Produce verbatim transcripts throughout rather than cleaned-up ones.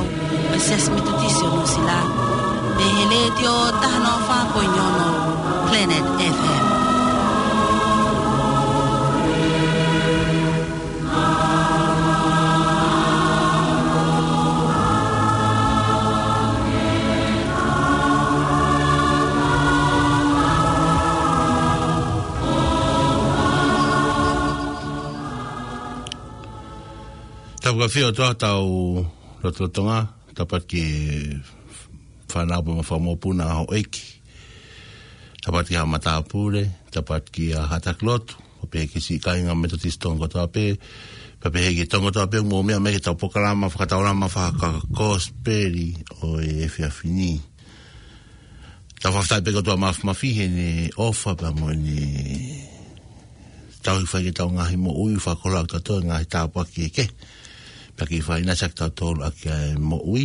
ʻa e Siasi Metotisi ʻo Nuʻusila, ʻi he Letiō taha noa fā poini ono Planet F M. Tapu ka fio toa tau lotolotonga, tapu ki he fānau pea mo e fanga mokopuna ʻa houʻeiki. Tapu ki he matāpule, tapu ki he haʻa taki lotu, pea pehē ki he siʻi kāinga Metotisi Tonga kotoa pē, pea pehē ki he Tonga kotoa pē, mou meʻa mai ki heʻetau polokalama fakataulama fakakosipeli ʻo e efiafi ni. Tau fakafetaʻi pē ki he ʻOtua Māfimafi heʻene ʻofa pea mo ʻene tauhi fai ki heʻetau ngaahi moʻui, fakakoloa kitautolu he ngaahi tāpuaki kehekehe. Pea ke fai ʻinasi kitautolu ʻaki ʻa e moʻui.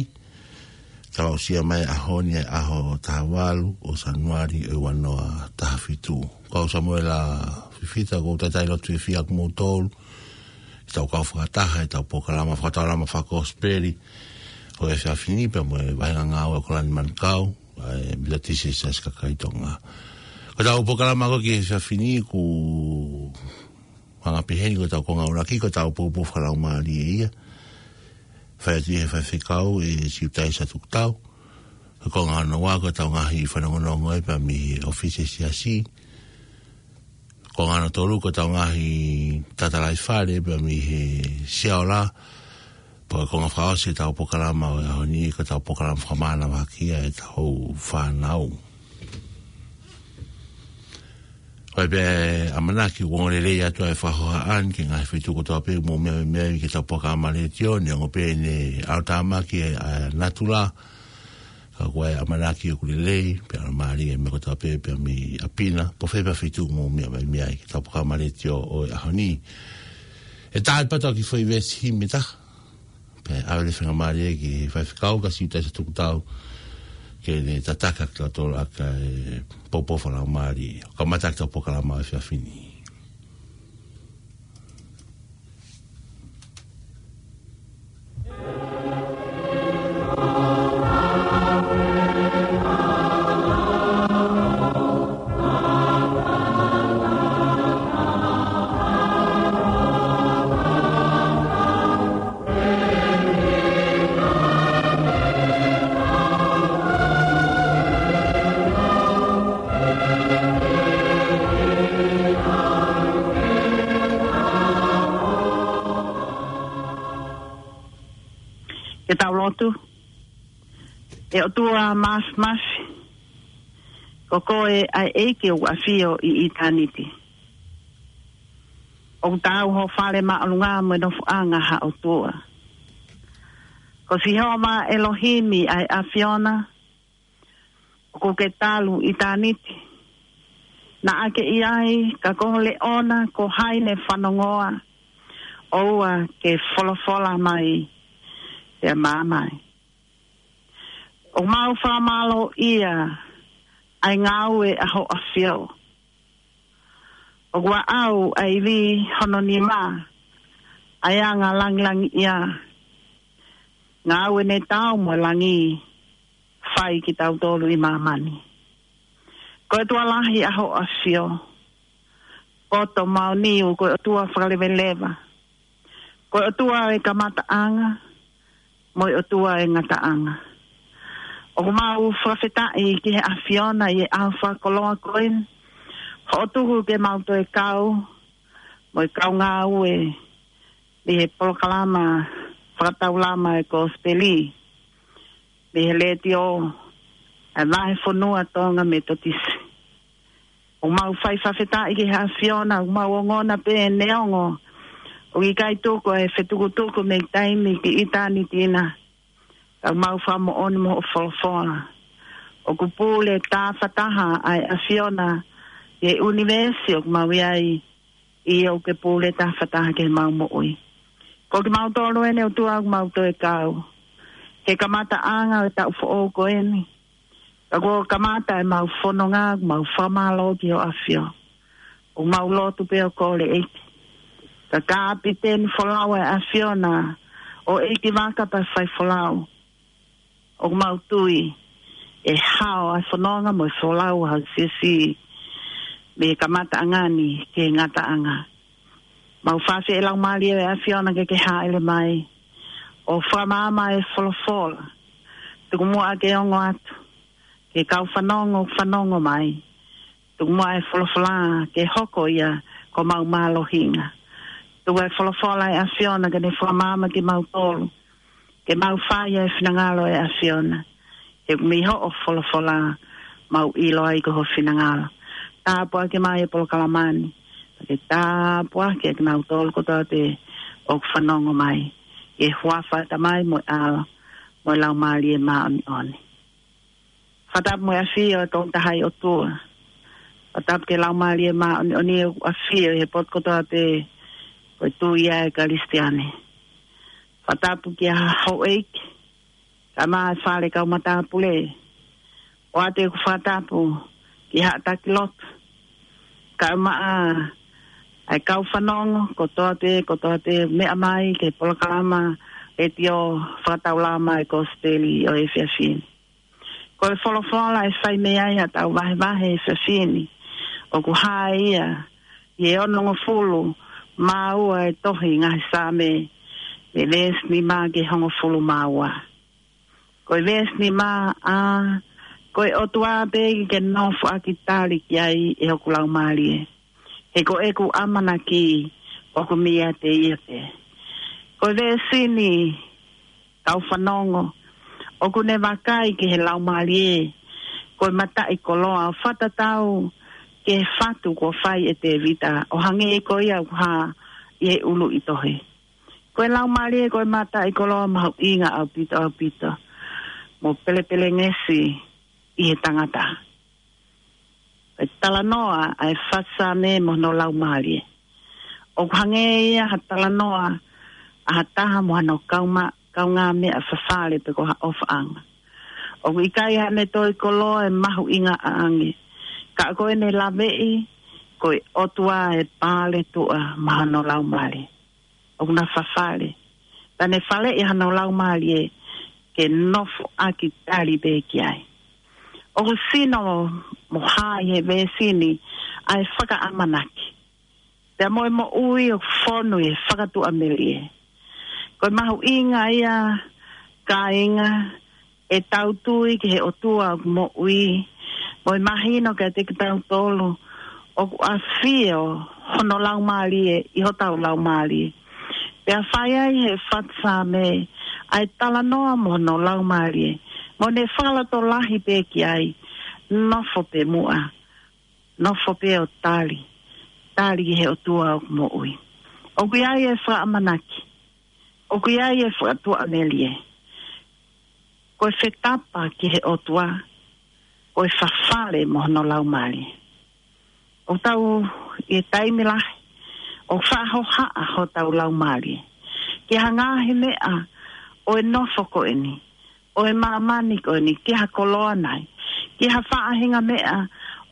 Tau aʻusia mai ʻa e ʻaho ni, ʻaho taha valu ʻo Sānuali ʻo e ua noa taha fitu. Ko au Samuela Fifita, ʻoku ou talitali lotu fiefia ʻa kimoutolu ʻi heʻetau kau fakataha ʻi heʻetau polokalama fakataulama fakakosipeli ʻo e efiafi ni pea mo e vahenga ngāue ʻa Kolani Manukau, ʻa e Metotisi Siasi Kakai Tonga. Ko ʻetau polokalama ko ē ki he efiafi ni ʻoku hanga pehē ni, ko ʻetau konga ʻuluaki ko ʻetau poupou fakalaumālie ia. Fai atu ʻe he faifekau ʻe Siutaisa Tukutau. Ko e konga hono ua ko ʻetau ngaahi fanongonongo ē pea mei he ʻōfisi ʻo e Siasi. Konga hono tolu ko ʻetau ngaahi tatalaifale pea mei he Siaola. Pea ko e konga fakaʻosi ʻetau polokalama ʻo e ʻaho ni ko ʻetau polokalama fakamānavaki ʻa ʻetau fānau. Ko e pē ʻamanaki ʻoku ongo lelei atu ʻa e fakahohaʻa ni ki he ngaahi feituʻu kotoa pē ʻoku mou meʻa mai ai ki heʻetau polokalama letiō, neongo pē ʻene ʻalotāmaki ʻa e natula, ka ko e ʻamanaki ʻoku lelei, pea ʻalomālie e meʻa kotoa pē, pea mei ʻapi na, pe ko fē pē feituʻu ʻoku mou meʻa mai ai ki heʻetau polokalama letiō ʻo e ʻaho ni. ʻE tā atu pē ʻetau kiʻi foʻi veesi himi ʻe taha. Pea ʻave e faingamālie ki he faifekau ko Siutaisa Tukutau ke ne tataki kitautolu ʻaki e poupou fakalaumālie. Kamata ʻetau polokalama ʻo e efiafi ni. Ke tau lotu. ʻE ʻOtua Māfimafi, ko koe ʻa e ʻEiki ʻoku ʻafio ʻi ʻitāniti. ʻOku taau ho fale māʻolunga mo e nofoʻanga ha ʻOtua. Ko Sihova ʻElohimi ʻa e ʻAfiona, ʻoku ke talu ʻitāniti. Naʻa ke ʻi ai, ka ko ho leʻona, ko hai ne fanongoa, ʻoua ke folofola mai, pea maʻu mai. ʻOku mau fakamālōʻia ʻa e ngāue ʻa ho ʻAfio. ʻOku aʻau ʻa e ivi hono nima, ʻa e anga langilangiʻia. Ngāue ne tau mo e langi, fai kitautolu ʻi māmani. Ko e ʻOtua lahi ʻa ho ʻAfio. Poto maʻoniu, ko e ʻOtua fakaleveleva. Ko e ʻOtua ʻo e kamataʻanga, mo e ʻOtua ʻo e ngataʻanga. ʻOku mau fakafetaʻi ki he ʻAfiona ʻi he ʻaho fakakoloa ko eni. Hoʻo tuku ke mau toe kau, mo e kau ngāue, ʻi he polokalama fakataulama e kosipeli, mei he letiō, ʻa e Vahefonua Tonga Metotisi. ʻOku mau fai fakafetaʻi ki he ʻAfiona, ʻoku mau ongona pē neongo ʻoku ʻikai tuku ʻa e fetukutuku mei taimi ki ʻitāniti na. Ka ʻoku mau fakamoʻoni mo hoʻo folofola. ʻOku pule tāfataha ʻa e ʻAfiona ʻi he ʻunivēsi ʻoku mau ʻi ai, ʻio ʻoku ke pule tāfataha ki heʻemau moʻui. Ko kimautolu eni ʻOtua ʻoku mau toe kau. Ke kamataʻanga ʻo e taʻu foʻou ko eni. Ka kuo kamata ʻemau fononga, ʻoku mau fakamālō ki ho ʻAfio. ʻOku mau lotu pea kole ʻEiki. Ka kapiteni folau ʻa e ʻAfiona, ʻo ʻeikivaka pea faifolau. ʻoku mau tui ʻe hao ʻa e fononga mo e folau ʻa e siasi mei he kamataʻanga ni ki he ngataʻanga. Mau fafie ʻe Laumālie ʻo e ʻAfiona ke ke hāʻele mai ʻo fakamaama e folofola. Tuku muʻa ke ongo atu ki he kau fanongo, fanongo mai. Tuku muʻa e folofola ke hoko ia ko homau mālohinga. Tuku e folofola ʻa e ʻAfiona ke ne fakamaama kimautolu ke mau fai e finangalo ʻa e ʻAfiona. He ʻoku mei hoʻo folofola mau ʻilo ai ko ho finangalo. Tāpuakiʻi mai e polokalama ni. Ke tāpuakiʻi kinautolu kotoa pē ʻoku fanongo mai. ʻI he huafa ʻo e Tamai mo e ʻAlo mo e Laumālie Māʻoniʻoni. Fakatapu mo e ʻafio ʻa e Tongataha ʻOtua. Fakatapu ki he Laumālie Māʻoniʻoni ʻoku ʻafio ʻi he potu kotoa pē ko e tui ʻa e Kalisitiane. Fakatapu ki he houʻeiki, kae ʻumaʻā e fale kau matāpule. ʻOatu ʻeku fakatapu ki he haʻa taki lotu, kae ʻumaʻā ʻa e kau fanongo kotoa pē, kotoa pē meʻa mai ki he polokalama ʻa e Letiō Fakataulama ʻa e Kosipeli ʻo e efiafi ni. Ko e folofola ʻe fai mei ai haʻatau vahevahe he efiafi ni, ʻoku hā ia ʻi he onongofulu mā ua ʻo e tohi Ngaahi Saame, mei he veesi nima ki he hongofulu mā ua. Ko e veesi nima: ʻA, ko e ʻOtua pē ke nofoʻaki tali ki ai ʻe hoku laumālie. He ko ʻeku ʻamanaki ʻoku meiate ia pē. Ko e veesi ni, kau fanongo, ʻoku ne vakai ki he laumālie ko e mataʻikoloa ʻo fakatatau ki he fatu kuo fai ʻe Tēvita, ʻo hangē ko ia ʻoku hā ʻi he ʻuluʻi tohi. Ko e laumālie ko e mataʻikoloa mahuʻinga ʻaupito, ʻaupito, mo pelepelengesi ʻi he tangata. ʻE talanoa ʻa e fatu Saame mo hono laumālie. ʻOku hangē ia ha talanoa ʻa ha taha mo hano kauma-, kaungāmeʻa fafale pe ko ha ʻofaʻanga. ʻOku ʻikai haʻane toi koloa ʻe mahuʻinga ʻaʻange, ka ko ʻene laveʻi ko e ʻOtua ʻe paletuʻa mo hono laumālie. ʻOku na fafale, pea ne faleʻi hano laumālie ke nofoʻaki tali pē ki ai. ʻOku sino mo hā ʻi he veesi ni ʻa e fakaʻamanaki, pea mo e moʻui ʻoku fonu ʻi he fakatuʻamelie. Ko e mahuʻinga ia, kāinga, ʻetau tui ki he ʻOtua ʻoku moʻui, mo e mahino kiate kitautolu ʻoku ʻafio hono laumālie ʻi hotau laumālie. Pea fai ai ʻe he fatu Saame ʻa e talanoa mo hono laumālie, mo ne fakalotolahi pē ki ai, nofo pē muʻa, nofo pē ʻo tali, tali ki he ʻOtua ʻoku moʻui. ʻOku ʻi ai e fakaʻamanaki, ʻoku ʻi ai e fakatuʻamelie. Ko e fetapa ki he ʻOtua, ko e fafale mo hono laumālie. ʻOku tau ʻi he taimi lahi ʻoku faʻa hohaʻa hotau laumālie ki ha ngaahi meʻa ʻo e nofo ko eni, ʻo e māmani ko eni, ki ha koloa nai, ki ha faʻahinga meʻa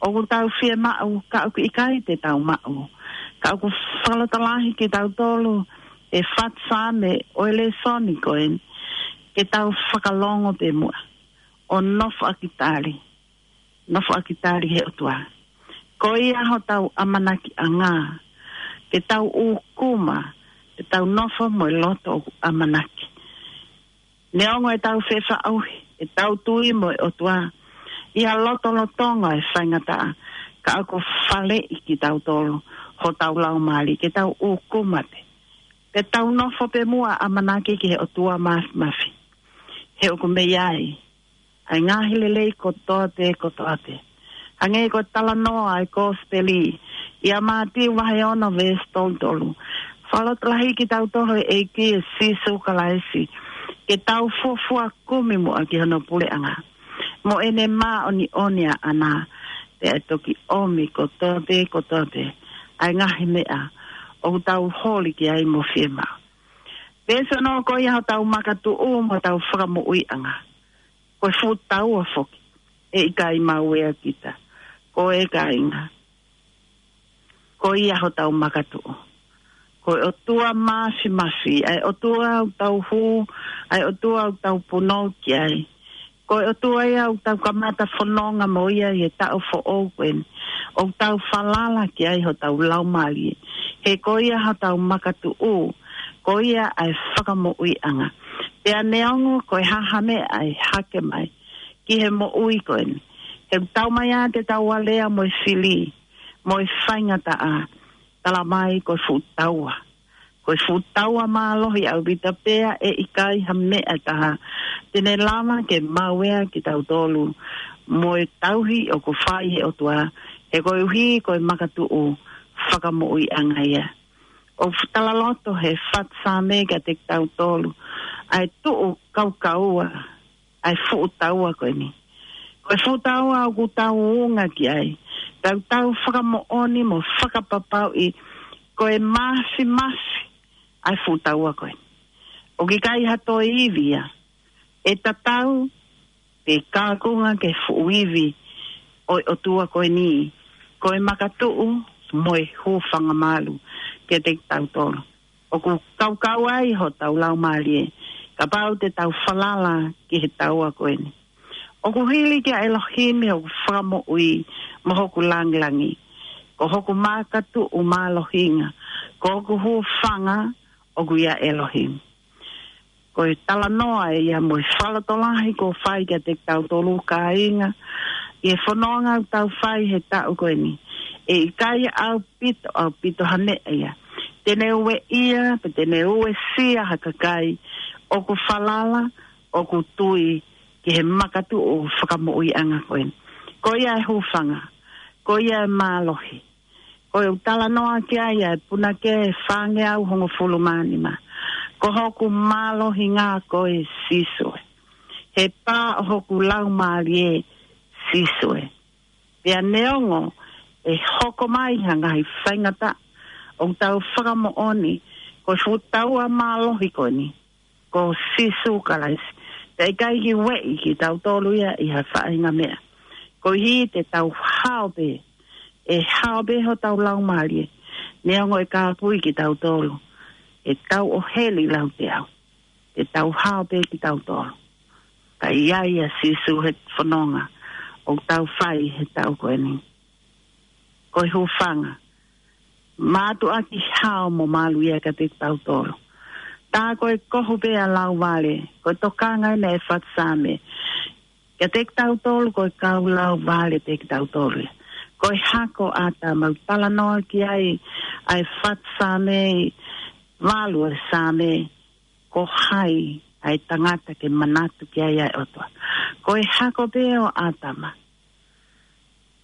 ʻoku tau fiemaʻu, ka ʻoku ʻikai te tau maʻu. Ka ʻoku fakalotolahi kitautolu ʻe he fatu Saame ʻo e lēsoni ko eni, ke tau fakalongo pē muʻa ʻo nofoʻaki tali, nofoʻaki tali he ʻOtua. Ko ia hotau ʻamanakiʻanga, ke tau ʻūkuma, ke tau nofo mo e loto ʻoku ʻamanaki. Neongo ʻetau fefaʻuhi, ʻetau tui mo e ʻOtua ʻi ha lotolotonga ʻe faingataʻa, ka ʻoku faleʻi kitautolu hotau laumālie ke tau ʻūkuma pē, ke tau nofo pē muʻa ʻamanaki ki he ʻOtua Māfimafi. He ʻoku mei ai ʻa e ngaahi lelei kotoa pē, kotoa pē. Hangē ko e talanoa ʻa e Kosipeli ʻia Mātiu vahe ono veesi tolu tolu. Fakalotolahi kitautolu ʻe he ʻEiki ʻa Sīsū Kalaisi ke tau fuofua kumi muʻa ki hono puleʻanga mo ʻene māʻoniʻoni ʻaʻana, pea ʻe toki ʻomi kotoa pē, kotoa pē ʻa e ngaahi meʻa ʻoku tau holi ki ai mo fiemaʻu. Veesi ono: Ko ia hotau makatuʻu mo hotau fakamoʻuiʻanga. Ko e fuʻu taua foki, ʻe ʻikai mauea kita. Ko e kāinga, ko ia hotau makatuʻu. Ko e ʻOtua Māfimafi, ʻa e ʻOtua ʻoku tau hū, ʻa e ʻOtua ʻoku tau punou ki ai. Ko e ʻOtua ia ʻoku tau kamata fononga mo ia ʻi he taʻu foʻou ko eni. ʻOku tau falala ki ai hotau laumālie. He ko ia hotau makatuʻu, ko ia ʻa e fakamoʻuiʻanga. Pea neongo ko e hā ha meʻa ʻe hake mai ki he moʻui ko eni, he ʻoku tau mai ʻa te tau alea mo e fili, mo e faingataʻa, tala mai ko e fuʻu taua. Ko e fuʻu taua mālohi ʻaupito pea ʻe ʻikai ha meʻa ʻe taha te ne lava ke maueʻi kitautolu mo e tauhi ʻoku fai he ʻOtua, he koeʻuhi ko e makatuʻu fakamoʻuiʻanga ia. ʻOku talaloto he faʻu Saame kiate kitautolu ʻa e tuʻu kaukaua ʻa e fuʻu taua ko eni. Ko e fuʻu taua ʻoku tau unga ki ai, tau tau fakamoʻoni mo fakapapauʻi ko e māfimafi ʻa e fuʻu taua ko eni. ʻOku ʻikai ha toe ivi ia ʻe tatau pe kākunga ki he fuʻu ivi ʻo e ʻOtua ko eni, ko e makatuʻu mo e hūfanga mālohi kiate kitautolu. ʻOku kaukau ai hotau laumālie kapau te tau falala ki he taua ko eni. ʻOku hili kia ʻElohimi hoku fakamoʻui mo hoku langilangi. Ko hoku makatuʻu mālohinga, ko hoku hūfanga ʻoku ʻia ʻElohimi. Ko e talanoa ia mo e fakalotolahi kuo fai kiate kitautolu kāinga ʻi he fononga ʻoku tau fai he taʻu ko eni. ʻE ʻikai ʻaupito, ʻaupito ha meʻa ia te ne ueʻia, pe te ne uesia ha kakai ʻoku falala, ʻoku tui ki he makatuʻu fakamoʻuiʻanga ko eni. Ko ia e hūfanga, ko ia e mālohi. Ko e ʻū talanoa ki ai ʻa e punake ʻe fāngeau hongofulu mā nima. Ko hoku mālohinga koe Sīsū ē. He pā ʻo hoku laumālie Sīsū ē. Pea neongo ʻe hoko mai ha ngaahi faingataʻa, ʻoku tau fakamoʻoni ko e fuʻu taua mālohi ko eni ko Sīsū Kalaisi. Pea ʻikai ke ueʻi kitautolu ia ʻi ha faʻahinga meʻa. Koeʻuhi te tau hao pē, ʻe hao pē hotau laumālie. Neongo ʻe kāpui kitautolu ʻe tau ʻo heli lauteau, te tau hao pē kitautolu. Ka ʻi ai ʻa Sīsū he fononga ʻoku tau fai he taʻu ko eni. Ko e hūfanga, mātuʻaki hao mo malu ia kiate kitautolu. Tā ko e kohu pē ʻa lauvale, ko e tokanga ʻeni ʻa e faʻu Saame kiate kitautolu, ko e kau lauvale pē kitautolu ia. Ko e hako ʻa ʻĀtama ʻoku talanoa ki ai ʻa e faʻu Saame, valu ʻa e Saame, ko hai ʻa e tangata ke manatu ki ai ʻa e ʻOtua. Ko e hako pē ʻo ʻĀtama,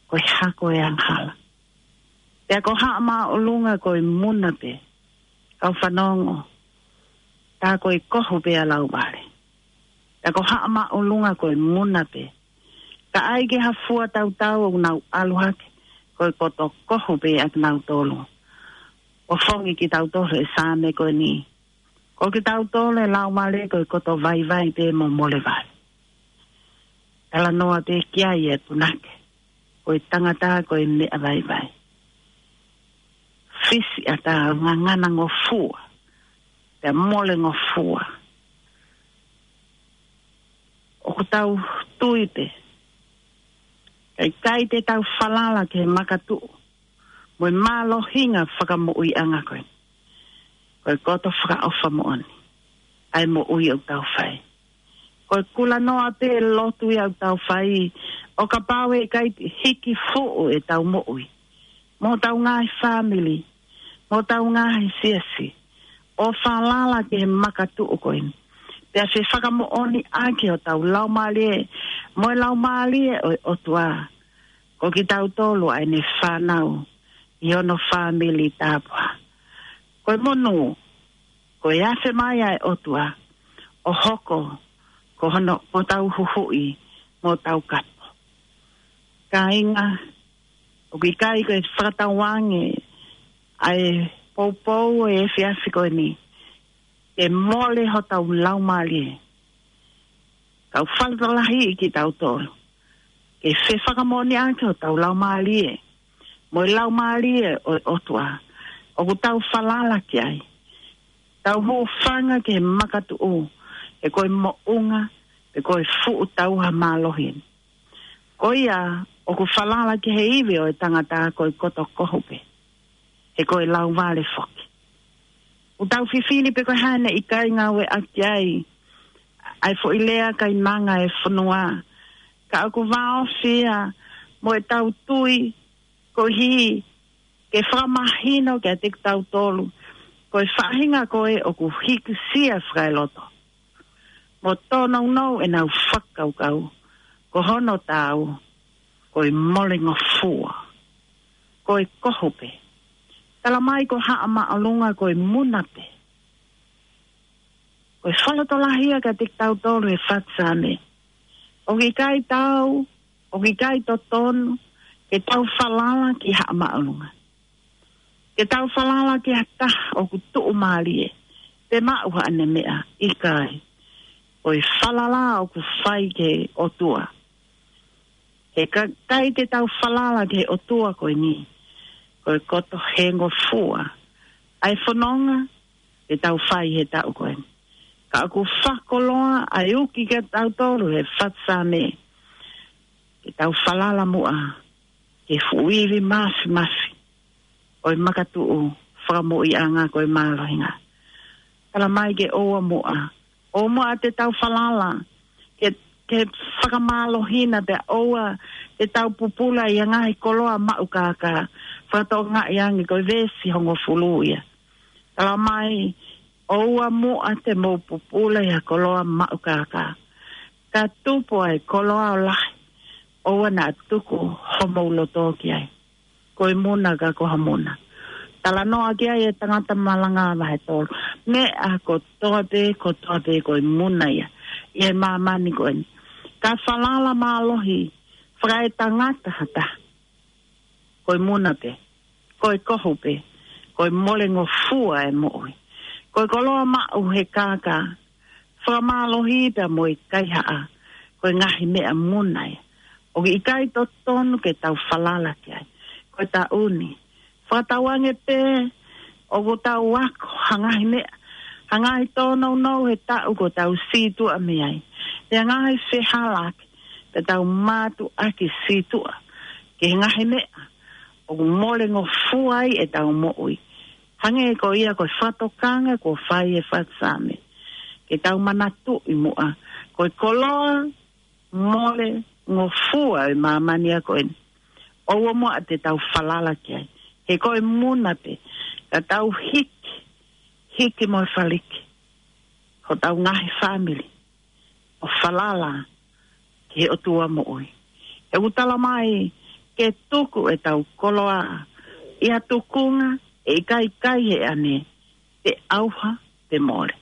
ko e hako ʻo e angahala. Pea ko Haʻa Māʻolunga ko e muna pē, kau fanongo, tā ko e kohu pē ʻa lauvale. Pea ko Haʻa Māʻolunga ko e muna pē. Ka ʻai ke ha fua tautau ʻoku nau ʻalu hake, ko e koto kohu pē ʻa kinautolu. ʻO fongi kitautolu ʻe he Saame ko eni, ko kitautolu ʻe laumālie ko e koto vaivai pē mo molevale. Talanoa pē ki ai e punake, ko e tangata ko e meʻa vaivai. Fisi ʻatā, ngangana ngofua, pea mole ngofua. ʻOku tau tui pē, ka ʻikai te tau falala ki he makatuʻu mo e mālohinga fakamoʻuiʻanga ko ē, ko e koto fakaʻofa moʻoni ʻa e moʻui ʻoku tau fai. Ko e kulanoa pē lotu ia ʻoku tau fai, ʻo kapau ʻe ʻikai hiki fuʻu ʻetau moʻui mo hotau ngaahi fāmili, mo hotau ngaahi siasi, ʻo falala ki he makatuʻu ko eni, pea fefakamoʻoniʻaki hotau laumālie mo e laumālie ʻo e ʻOtua, ko kitautolu ʻa ʻene fānau ʻi hono fāmili tāpuhā. Ko e monū, ko e afe mai ʻa e ʻOtua ʻo hoko ko hono, ko hotau huhuʻi mo hotau kapo. Kāinga, ʻoku ʻikai ko e fakatauange ʻa e poupou ʻo e efiafi ko eni ke mole hotau laumālie. Kau fakalotolahi kitautolu ke fefakamoʻoniʻaki hotau laumālie mo e laumālie ʻo e ʻOtua ʻoku tau falala ki ai. Tau hūfanga ki he makatuʻu, he ko e moʻunga pe ko e fuʻu tauha mālohi. Ko ia ʻoku falala ki he ivi ʻo e tangata ko e koto kohu pē, he ko e lauvale foki. ʻOku tau fifili pe ko e hā ʻene ʻikai ngāueʻaki ai ʻa e foʻi lea kaimanga e fonua, ka ʻoku vāofi ia mo ʻetau tui, koeʻuhi ke fakamahino kiate kitautolu ko e faʻahinga ko ē ʻoku hikisia fakaeloto mo tōnounou ʻenau fakakaukau, ko hono taau ko e molengofua, ko e kohu pē. Tala mai ko Haʻa Māʻolunga ko e muna pē. Ko e fakalotolahi ia kiate kitautolu he fatu Saame. ʻOku ʻikai tau, ʻoku ʻikai totonu ke tau falala ki Haʻa Māʻolunga, ke tau falala ki ha taha ʻoku tuʻumālie pe maʻu haʻane meʻa, ʻikai. Ko e falala ʻoku fai ki he ʻOtua. He ka, ʻikai ke tau falala ki he ʻOtua ko eni, ko e koto hengofua ʻa e fononga ke tau fai he taʻu ko eni. Ka ʻoku fakakoloa ʻa e uki kiate kitautolu he fatu Saame, ke tau falala muʻa ki he fuʻu ivi māfimafi ʻo e makatuʻu fakamoʻuiʻanga ko e mālohinga. Tala mai ke ʻoua muʻa, ʻoua muʻa te tau falala ke, ke fakamālohia, pea ʻoua te tau pupula ʻi ha ngaahi koloa maʻu kākā. Fakatokangaʻi ange ko e veesi hongofulu ia. Tala mai, ʻoua muʻa te mou pupula ʻi ha koloa maʻu kākā. Ka tupu ʻa e koloa ʻo lahi, ʻoua naʻa tuku homou loto ki ai. Ko e muna ka ko ha muna. Talanoa ki ai e tangata malanga vahe tolu. Meʻa kotoa pē, kotoa pē ko e muna ia ʻi he māmani ko eni. Ka falala mālohi fakaetangata ha taha, ko e muna pē, ko e kohu pē, ko e molengofua e moʻui. Ko e koloa maʻu he kākā, fakamālohi pea mo e kaihaʻa, ko e ngaahi meʻa muna ia. ʻOku ʻikai totonu ke tau falala ki ai. Ko e taʻu ni, fakatauange pē ʻoku tau ako ha ngaahi meʻa, ha ngaahi tōnounou he taʻu kuo tau sītuʻa mei ai, pe ngaahi fehālaaki, ke tau mātuʻaki sītuʻa ki he ngaahi meʻa ʻoku molengofua ai ʻetau moʻui. Hangē ko ia ko e fakatokanga kuo fai he fatu Saame, ke tau manatuʻi muʻa ko e koloa molengofua ʻo e māmani ko eni, ʻoua muʻa te tau falala ki ai. He ko e muna pē ka tau hiki, hiki mo e faliki hotau ngaahi fāmili ʻo falala ki he ʻOtua moʻui. He ʻoku tala mai ke tuku ʻetau koloa ʻi ha tukunga ʻe ʻikai kai he ane, pe ʻauha pe mole.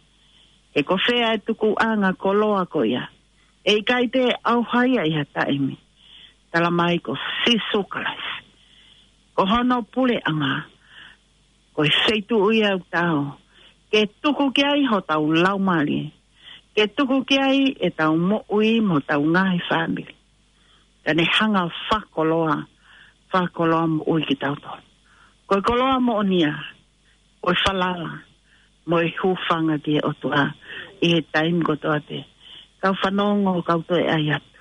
He ko fē ʻa e tukuʻanga koloa ko ia, ʻe ʻikai te ʻauha ia ʻi ha taimi. Tala mai ko Sīsū Kalaisi, ko hono puleʻanga, ko e feituʻu ia ʻoku tau ke tuku ki ai hotau laumālie, ke tuku ki ai ʻetau moʻui mo hotau ngaahi fāmili. Ka ne hanga ʻo fakakoloa, fakakoloa moʻui kitautolu. Ko e koloa moʻonia, ko e falala mo e hūfanga ki he ʻOtua ʻi he taimi kotoa pē. Kau fanongo, kau toe ʻai atu.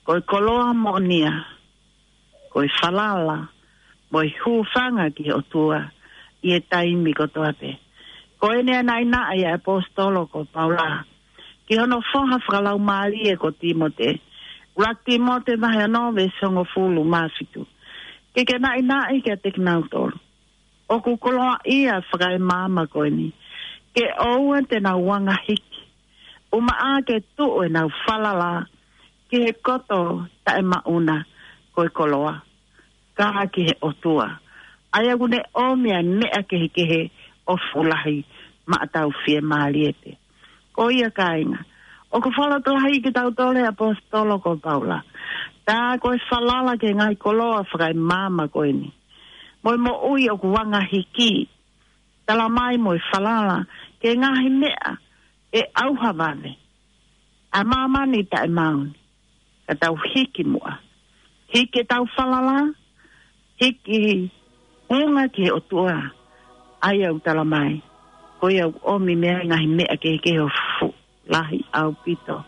Ko e koloa moʻonia, ko e falala mo e hūfanga ki he ʻOtua ʻi he taimi kotoa pē. Ko ʻene naʻinaʻi ʻa e ʻaposetolo ko Paula ki hono foha fakalaumālie ko Tīmote. ʻUluaki Tīmote vahe ono veesi hongofulu mā fitu. Ke ke naʻinaʻi kiate kinautolu ʻoku koloaʻia fakaemaama ko eni, ke ʻoua te nau anga hiki, ʻumaʻā ke tuʻu ʻenau falala ki he koto taʻemaʻuna ko e koloa, ka ki he ʻOtua, ʻa ia ʻoku ne ʻomi ʻa e meʻa kehekehe ʻo fuʻu lahi maʻa ʻetau fiemālie pē. Ko ia kāinga, ʻoku fakalotolahi kitautolu he ʻaposetolo ko Paula. Tā ko e falala ki he ngaahi koloa fakaemaama ko eni, mo e moʻui ʻoku anga hiki, tala mai mo e falala ki he ngaahi meʻa ʻe ʻauha vave ʻa māmani taʻemaʻu ni, ka tau hiki muʻa. Hiki ʻetau falala, hiki ʻuhinga ki he ʻOtua, ʻa ia ʻoku tala mai, ko ia ʻoku ʻomi mei ai ngaahi meʻa kehekehe ʻo fuʻu lahi ʻaupito.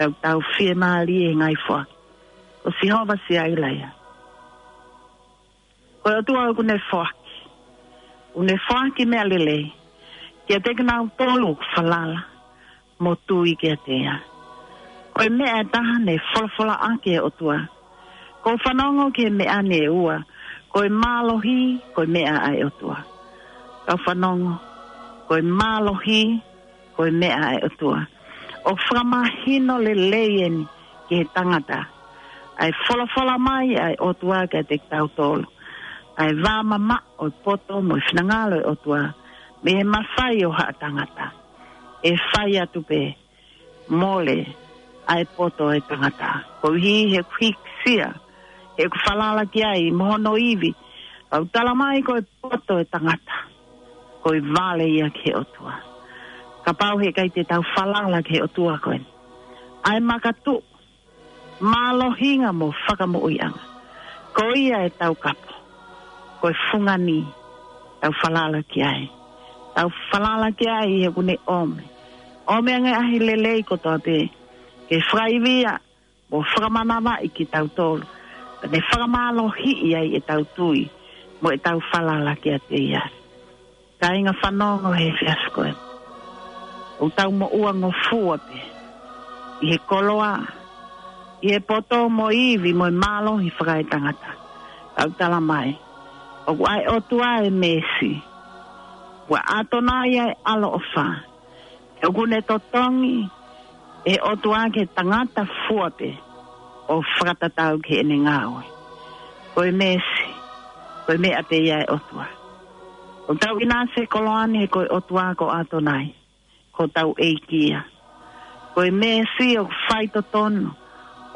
Tau tau fiemālie he ngaahi foaki. Ko Sihova Siaila ia. Ko e ʻOtua ʻoku ne foaki. ʻOku ne foaki meʻa lelei kiate kinautolu ʻoku falala mo tui kiate ia. Ko e meʻa ʻe taha ne folofola ʻaki e ʻOtua. Ko e fanongo ki he meʻa ni ʻe ua. Ko e mālohi, ko e meʻa ʻa e ʻOtua. Kau fanongo, ko e mālohi, ko e meʻa ʻa e ʻOtua. ʻOku fakamahino lelei eni ki he tangata ʻa e folofola mai ʻa e ʻOtua kiate kitautolu. ʻA e vā mamaʻo ʻo e poto mo e finangalo ʻo e ʻOtua. Mei he mafai ʻo haʻa tangata. ʻE fai atu pē mole ʻa e poto ʻo e tangata. Koeʻuhi he ʻoku hīkisia, he ʻoku falala ki ai mo hono ivi. Kau tala mai ko e poto ʻo e tangata. Ko e vale ia ki he ʻOtua. Kapau he ʻikai te tau falala ki he ʻOtua ko eni. ʻA e makatuʻu, mālohinga mo fakamoʻuiʻanga. Ko ia ʻe taukapo. Ko e fungani, tau falala ki ai. Tau falala ki ai he ʻoku ne ʻomi. ʻOmi ange ʻa e lelei kotoa pē. Ke fakaivia, mo fakamanavaʻi kitautolu. Pea ne fakamālohiʻi ai ʻetau tui, mo ʻetau falala kiate ia. Kāinga fanongo he efiafi ko eni. ʻOku tau moʻua ngofua pē. ʻI he koloa, ʻi he poto mo e ivi mo e mālohi fakaetangata. Kau tala mai. ʻOku ʻa e ʻOtua ʻe meesi. Kuo ʻAtonai ʻa e ʻaloʻofa. ʻOku ne totongi ʻe he ʻOtua ki he tangata fua pē ʻo fakatatau ki heʻene ngāue. Ko e meesi, ko e meʻa pē ia ʻa e ʻOtua. ʻOku tau ʻinasi he koloa ni he ko e ʻOtua ko ʻAtonai, ko hotau ʻEiki ia. Ko e meesi ʻoku faitotonu,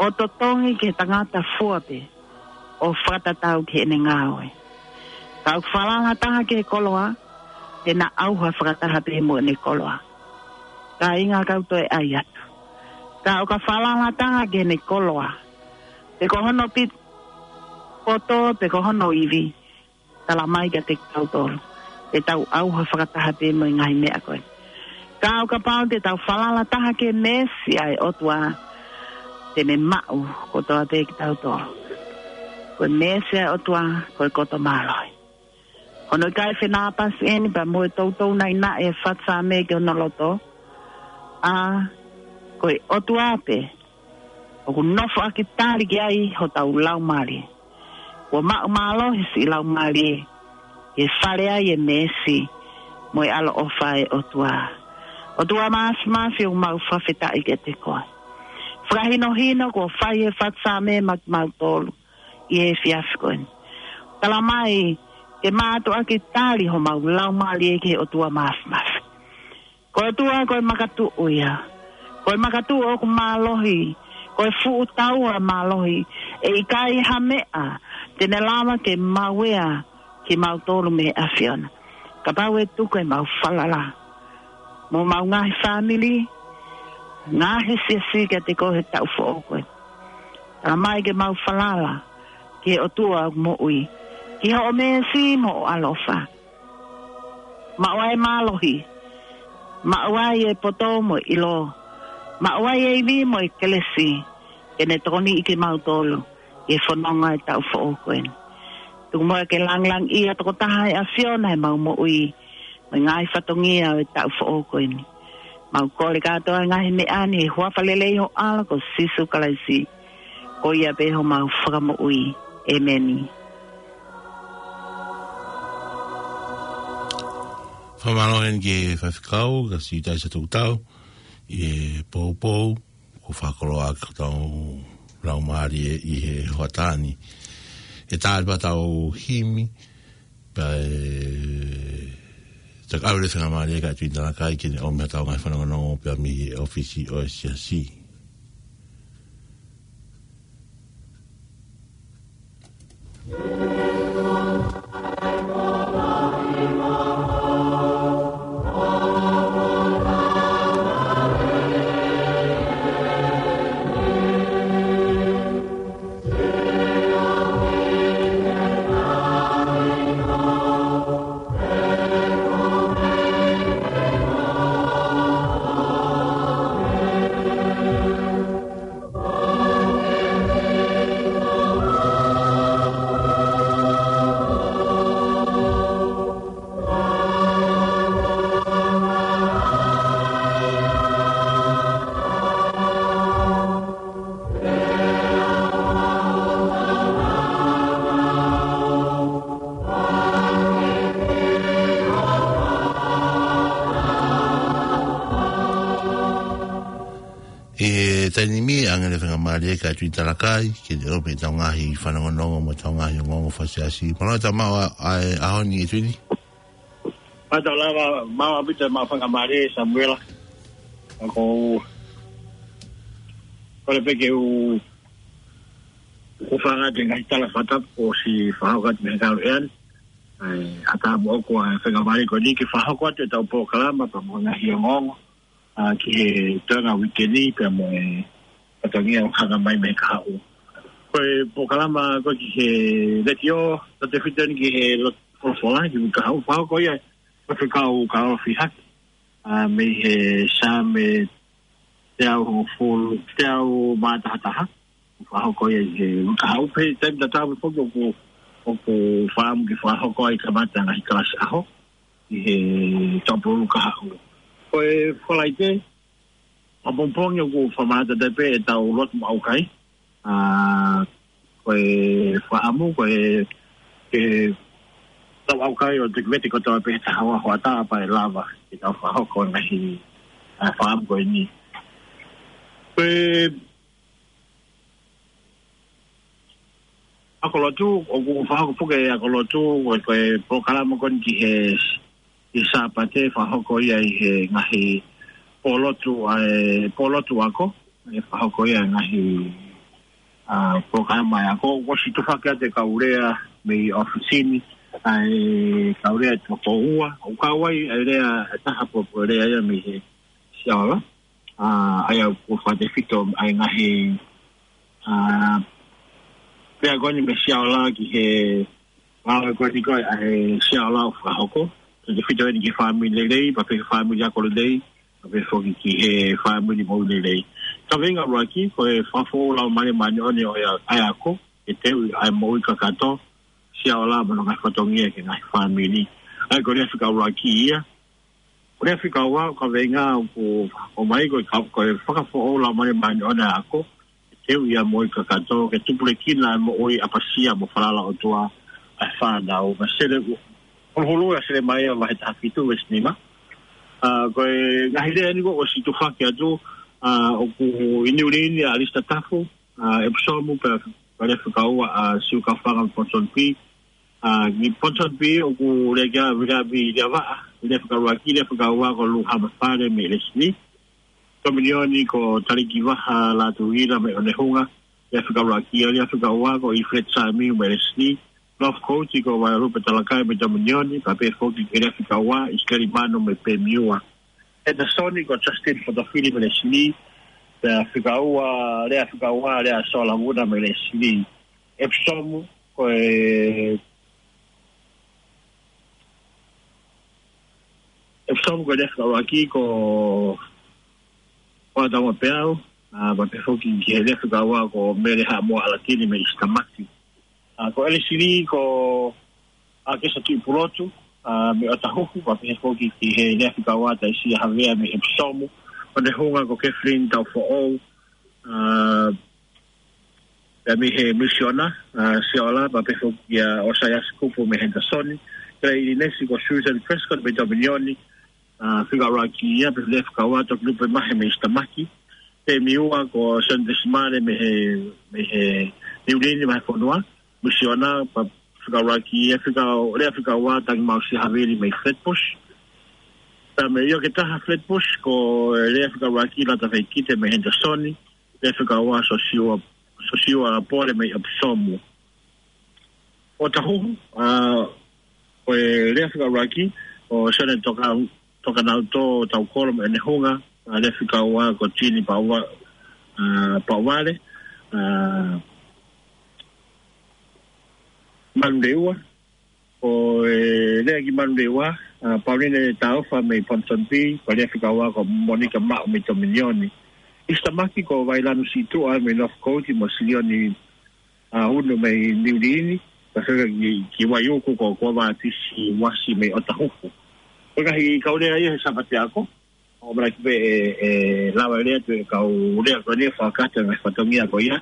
ʻo totongi ki he tangata fua pē ʻo fakatatau ki heʻene ngāue. Ka ʻoku falala taha ki he koloa, te na ʻauha fakataha pē mo ʻene koloa. Kāinga, kau toe ʻai atu. Ka ʻoka falala taha ki heʻene koloa, pe ko hono pit-, poto, pe ko hono ivi, tala mai kiate kitautolu, te tau ʻauha fakataha pē mo e ngaahi meʻa ko ē. Ka ʻoka pau te tau falala taha ki he meesi ʻa e ʻOtua, te ne maʻu kotoa pē kitautolu. Ko e meesi ʻa e ʻOtua, ko e koto mālohi. Hono ʻikai fenāpasi eni pea mo e toutou naʻinaʻi ʻa e faʻu Saame ki hono loto. ʻA, ko e ʻOtua pē ʻoku nofoʻaki tali ki ai hotau laumālie. Kuo maʻu mālohi siʻi laumālie, ke fale ai e meesi mo e ʻaloʻofa ʻa e ʻOtua. ʻOtua Māfimafi, ʻoku mau fakafetaʻi kiate koe. Fakahinohino kuo fai ʻe he faʻu Saame maʻa kimautolu ʻi he efiafi ko eni. Tala mai, ke mātuʻaki tali homau laumālie ki he ʻOtua Māfimafi. Ko e ʻOtua ko e makatuʻu ia. Ko e makatuʻu ʻoku mālohi. Ko e fuʻu taua mālohi. ʻE ʻikai ha meʻa te ne lava ke maueʻi kimautolu mei he ʻAfiona. Kapau ʻe tuku ʻemau falala mo homau ngaahi fāmili, ngaahi siasi kiate koe he taʻu foʻou ko ē. Tala mai ke mau falala ki he ʻOtua ʻoku moʻui, ki hoʻo meesi mo hoʻo ʻaloʻofa. Maʻu ai e mālohi, maʻu ai e poto mo e ʻilo, maʻu ai e ivi mo e kelesi, ke ne tokoniʻi kimautolu ʻi he fononga ʻo e taʻu foʻou ko eni. Tuku muʻa ke langilangiʻia tokotaha ʻa e ʻAfiona ʻi heʻemau moʻui, mo e ngaahi fatongia ʻo e taʻu foʻou ko eni. Mau kole kātoa e ngaahi meʻa ni ʻi he huafa lelei ho ʻAlo ko Sīsū Kalaisi. Ko ia pē homau Fakamoʻui. ʻEmeni. Fakamālō eni ki he faifekau, ka si tai sa tau tau, ʻi he poupou, ʻoku fakakoloa ʻaki hotau laumālie ʻi he hoʻatā ni. ʻE tali pē ʻetau himi, pea ʻe takaʻau le fenga mālie ka tui tana kai ke ne ʻomi hotau ngaahi fanongonongo pea mei he ʻōfisi ʻo e siasi. ʻE ʻange le faingamālie kia Tuʻi Talakai ke ne ʻomi ʻetau ngaahi fanongonongo mo ʻetau ngaahi ongoongo fakaʻosi. Mālō e tau maʻu ʻa e ʻaho ni, ʻe Tuʻi. Mālō e tau lava maʻu ʻaupito e maʻu faingamālie, Samuela. ʻOku ou kole pē ke u, u fanga te ngaahi tala fakatapu kuo ʻosi fakahoko atu mei he kau ʻeani. ʻE, ʻatā mo ʻoku ʻa e faingamālie ko eni ke fakahoko atu ʻetau polokalama pea mo e ngaahi ongoongo, ʻa, ki he toenga uike ni pea mo e fatongia ʻoku hanga mai mei he kahaʻu. Ko e polokalama ko ē ki he letiō, tautefito eni ki he lotu folofola, ki he kahaʻu, fakahoko ia ʻe Faifekau Kalafi Haki, ʻa, mei he Saame teau hongofulu, teau mā taha taha. Fakahoko ia ʻi he uike kahaʻu pē, taimi tatau pē foki ʻoku, ʻoku fakaʻamu ke fakahoko ai kamata ngaahi kalasi ʻaho ʻi he Tupou Kahaʻu. Ko e Falaite, ʻapongipongi ʻoku fakamātā pē ʻetau lotu maʻu kai. ʻA, ko e fakaʻamu, ko e, ke tau ʻaukai ʻo te kivete kotoa pē he taha ua hoʻatā pea ʻe lava ke tau fakahoko ngaahi, ʻa, fakaʻamu ko eni. Ko e ako lotu, ʻoku fakahoko foki e ako lotu, ko e, ko e polokalama ko eni ki he, ki he Sāpate, fakahoko ia ʻi he ngaahi pōlotu, ʻa e pōlotu ako, ʻe fakahoko ia ngaahi, ʻa, polokalama ʻa e ako, ʻoku ʻosi tufaki atu e kau lea mei ʻōfisi ni, ʻa e kau lea ʻe toko ua, ʻoku kau ai e lea ʻe taha pē, ko e lea ia mei he Siaola. ʻA, ʻa ia ʻoku fakatefito ʻa e ngaahi, ʻa, lea ko eni mei Siaola ki he ngāue ko eni ko ē ʻa e Siaola ʻoku fakahoko. Tautefito eni ki he fāmili lelei, pea pehē ki he fāmili ako lelei, pea pehē foki ki he fāmili moʻui lelei. Kaveinga ʻuluaki, ko e fakafoʻou Laumālie Māʻoniʻoni ʻo e, ʻa e ako, ke teuʻi ʻa e moʻui kakato, Siaola mo hono ngaahi fatongia ki he ngaahi fāmili. ʻA ia ko e lea fika ʻuluaki ia, ko e lea fika ua, kaveinga ʻoku ʻomai ko e ka-, ko e fakafoʻou Laumālie Māʻoniʻoni ʻa e ako, ke teuʻi ʻa e moʻui kakato, ke tupulekina ʻa e moʻui ʻapasia mo falala ʻOtua ʻa e fānau. Mei he Sele-, Huluhulu ʻa Selemaia vahe taha fitu veesi nima. ʻA, ko e ngaahi lea eni kuo ʻosi tufaki atu, ʻa, ʻoku ʻi Niu Sila ni ʻa ʻAlisita Tafu, ʻa, ʻEpisomu pea, pea lea fika ua ʻa Siukaufanga Ponsonby. ʻA, ki Ponsonby ʻoku lea ki ai ʻa Viliami Liavaʻa, lea fika ʻuluaki, lea fika ua ko Luhama Fale mei ʻElesini. Tōminioni ko Talikivaha Lātūʻila mei ʻOnehunga, lea fika ʻuluaki, lea fika ua ko ʻIfileti Samiu mei ʻElesini. Northcote ko Vaialupe Talakai mei Tōminioni, pea pehē foki ki he lea fika ua, ʻIsikeli Mano mei Pemiua. Henderson ko Justin Fotofili mei ʻElesini, lea fika ua, lea fika ua, lea Sola Vuna mei ʻElesini. ʻEpisomu, ko e, ʻEpisomu ko e lea fika ʻuluaki ko Hoataua Peau, ʻa, pea pehē foki ki he lea fika ua ko Mele Haʻamoa ʻAlatini mei ʻIsitamaki. ʻA, ko ʻElesini ko ʻAkesa Tuʻipulotu, ʻa, mei ʻOtahuhu, pea pehē foki ki he lea fika ua Taisia Havea mei ʻEpisomu. ʻOnehunga ko Kathleen Taufoʻou, ʻa, pea mei he Misiona, ʻa, Siaola, pea pehē foki kia ʻOsaiasi Kupu mei Henderson. Kele ʻIlinesi ko Susan Prescott mei Tōminioni, ʻa, fika ʻuluaki ia, pea lea fika ua Tokilupe Mahe mei ʻIsitamaki. Pemiua ko Sanders Male mei he, mei he Niu Sila ni, mei he fonua. Misiona, pea fika ʻuluaki ia, fika, lea fika ua Tangimausi Havili mei Flatbush. Pea mei ʻIoketaha Flatbush, ko e lea fika ʻuluaki Lata Feikite mei Henderson, lea fika ua Sosiua, Sosiua Pole mei ʻEpisomu. ʻOtahuhu, ʻa, ko e lea fika ʻuluaki, ko Sione Toka, Tokanauto Taukolo mei ʻOnehunga, ʻa, lea fika ua ko Tini Paʻuva-, ʻa, Paʻuvale, ʻa, Manurewa, ko e lea ki Manurewa, ʻa, Pauline Taufa mei Ponsonby, ko e lea fika ua ko Monica Maʻu mei Tōminioni. ʻIsitamaki ko Vailanu Situʻa mei Northcote mo Silioni, ʻa, Unu mei Niu Sila ni, pea fika ki, ki Vaiuku ko Kuavātisi Uasi mei ʻOtahuhu. Ko e ngaahi kau lea ia he Sāpate ako, ʻoku ʻamanaki pē ʻe, ʻe lava e lea atu e kau lea ko eni ʻo fakakakato e ngaahi fatongia ko ia.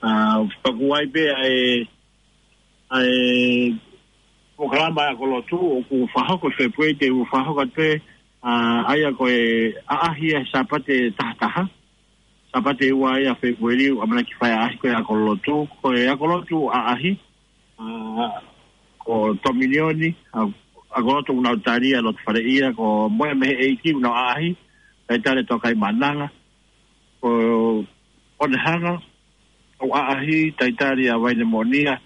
ʻA, pea ʻoku ʻi ai pē ʻa e, ʻa e polokalama ako lotu ʻoku fakahoko ʻi Fēpueli, te u fakahoko atu pē, ʻa, ʻa ia ko e ʻaʻahi ʻa e Sāpate taha taha. Sāpate ua ia Fēpueli, ʻamanaki fai ʻaʻahi ko e ako lotu. Ko e ako lotu ʻaʻahi, ʻa, ko Tominioni, ʻa, ako lotu ʻoku nau tali ʻa e lotu faleʻia, ko Moe mei he ʻEiki ʻoku nau ʻaʻahi, talitali ʻa Tokaimaʻananga. Ko Onehanga, ʻoku ʻaʻahi, talitali ʻa Vainemonia.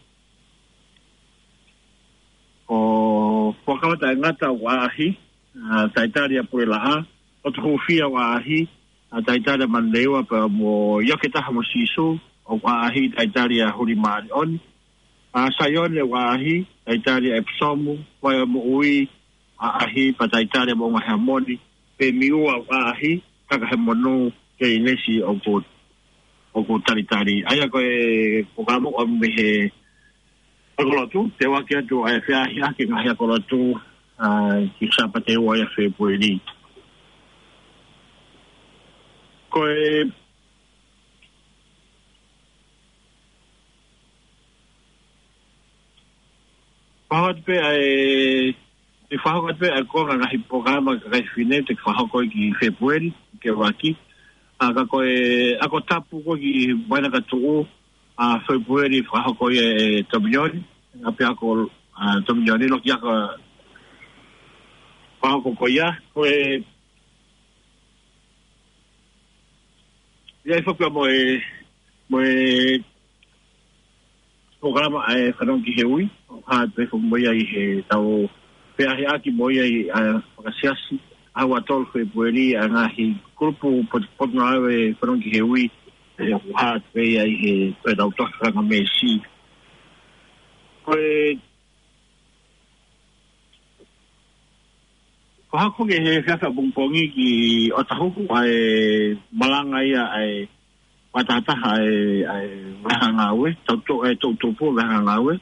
Ko Fuakava Taʻengata ʻoku ʻaʻahi, ʻa, talitali ʻa Puelaʻa. Ko Tukuʻufia ʻoku ʻaʻahi, ʻa, talitali ʻa Manleiwa pea mo Ioke Taha mo Sīsū, ʻoku ʻaʻahi, talitali ʻa Hulimaʻaliʻoni. ʻA, Saione ʻoku ʻaʻahi, talitali ʻa ʻEpisomu, Vaimoʻui, ʻaʻahi, pea talitali ʻa Moʻunga Heamoni, Pemiua ʻoku ʻaʻahi, Takahemonu, Keinesi ʻoku, ʻoku talitali. ʻA ia ko e, ko ka mo o mei he ako lotu, te u ʻoatu atu ʻa e feʻaʻahiʻaki e ngaahi ako lotu, ʻa, ki he Sāpate ua ia Fēpueli. Ko e, fakahoko atu pē ʻa e, ʻe fakahoko atu pē ʻa e konga ngaahi polokalama kakai fefine te ke fakahoko ki Fēpueli, ke vaki. ʻA, ka ko e, ako tapu ko ē ki he vaina ka tuʻu, ʻa, Fēpueli fakahoko ia ʻe Tominioni, ʻa pea ko, ʻa, Tominioni loki ako fakahoko ko ia, ko e, ia i fakua mo e, mo e, polokalama ʻa e Fanongo ki he Ui, ʻoku hā atu pē foki mo ia ʻi he tau feʻaʻahiʻaki mo ia ʻi, ʻa, fakasiasi, ʻaho ua tolu Fēpueli, ʻa e ngaahi kulupu pot-, potungāue Fanongo ki he Ui, ʻe ʻoku hā atu pē ia ʻi he, pē tau tohi fanga meesi. Ko e, ko hako ke he fiafa pongipongi ki ʻOtahuhu ʻa e malanga ia ʻa e fakatahataha ʻa e, ʻa e vahanga ngāue, tau to-, ʻa e tau tupu vahanga ngāue,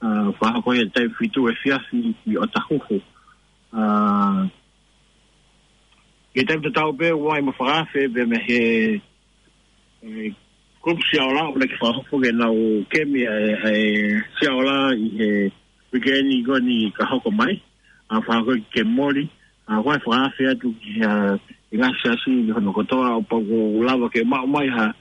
ʻa, fakahoko ia taimi fitu efiafi ki ʻOtahuhu. ʻA, ʻi he taimi tatau pē ʻoku ʻi ai mo e fakaafe pē mei he, ʻe, kulupu Siaola, ʻoku lava ke fakahoko ke nau kemi ʻa e, ʻa e Siaola ʻi he weekend ko eni ka hoko mai, ʻa, fakahoko ke moli, ʻa, ko e fakaafe atu ki he, ʻa, ʻi he ngaahi siasi ʻi hono kotoa, ʻo pau ʻoku lava ke maʻu mai ha,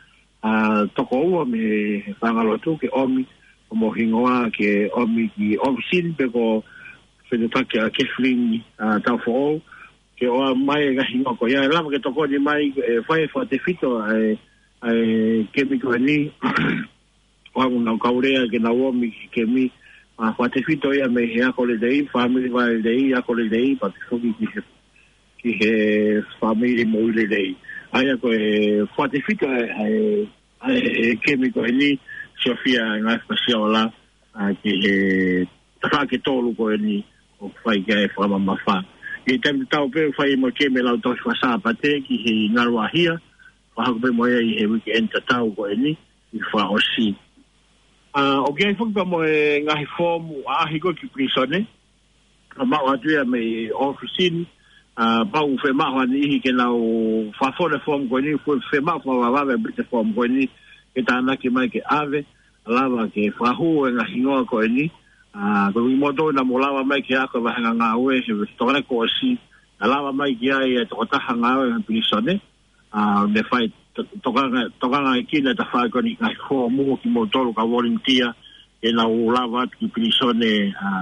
ʻa, toko ua mei he fanga lotu ke ʻomi, ʻo mo hingoa ke ʻomi ki ʻōfisi ni pe ko e fetuʻutaki ʻa Kathleen, ʻa, Taufoʻou, ke ʻoange mai e ngaahi hingoa ko ia, ʻe lava ke tokoni mai, ʻe fai fakatefito ʻa e, ʻa e kemi ko eni, ʻoange ʻenau kau lea ke nau ōmai ki he kemi, ʻa, fakatefito ia mei he ako lelei, fāmili vahe lelei, ako lelei, pea pehē foki ki he, ki he fāmili moʻui lelei. ʻA ia ko e fakatefito ʻa e, ʻa e, ʻa e kemi ko eni, Sofia Ngaahi Fakasiola, ʻa, ki he tafaʻaki ʻe tolu ko eni ʻoku fai ki ai e fakamamafa. ʻI he taimi tatau pē ʻoku fai mo e kemi lau tohi faka-Sāpate ki he Ngaluʻahia, fakahoko pē mo ia ʻi he weekend tatau ko eni ʻi he fakaʻosi. ʻA, ʻoku ʻi ai foki pē mo e ngaahi foomu ʻaʻahi ko ē ki pilīsone, ʻa, maʻu atu ia mei ʻōfisi ni, ʻa, pau ʻoku fiemaʻu ha niʻihi ke nau fakafonu e foomu ko eni, ʻoku fiemaʻu fakavavevave ʻa e foomu ko eni, ke tānaki mai ke ʻave, ʻa, lava ke fakahū e ngaahi hingoa ko eni, ʻa, ko kimoutolu naʻa mou lava mai ke ako e vahanga ngāue he tokolahi kuo ʻosi, ʻa, lava mai ki ai e tokotaha ngāue he pilīsone, ʻa, ne fai to-, tokanga, tokanga ʻi he kina tafaʻaki ko eni ngaahi foomu ko kimoutolu kau volunteer, ke nau lava atu ki pilīsone, ʻa,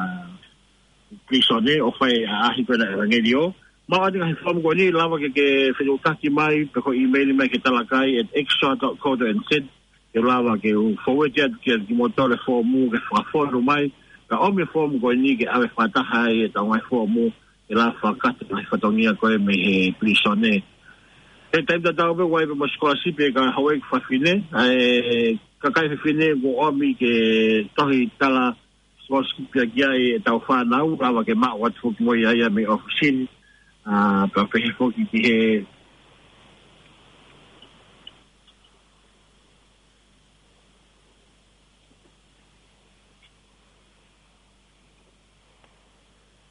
pilīsone ʻo fai ʻaʻahi ko ena ʻevangeliō. Maʻu atu e ngaahi foomu ko eni, lava ke, ke fetuʻutaki mai, pe ko e email mai ki he talakai at extra dot co dot N Z, ke lava ke u forward atu kia kimoutolu e foomu ke fakafonu mai, kae ʻomi e foomu ko eni ke ʻave fakataha ai ʻetau ngaahi foomu, ke lava fakakakato e ngaahi fatongia ko ē mei he pilīsone. He taimi tatau pē ʻoku ʻi ai pē mo e scholarship ʻa e kau houʻeiki fafine, ʻa e kakai fefine kuo ʻomi ke tohi tala scholarship ia ki ai ʻetau fānau, lava ke maʻu atu foki mo ia ia mei ʻōfisi ni, ʻa, pea pehē foki ki he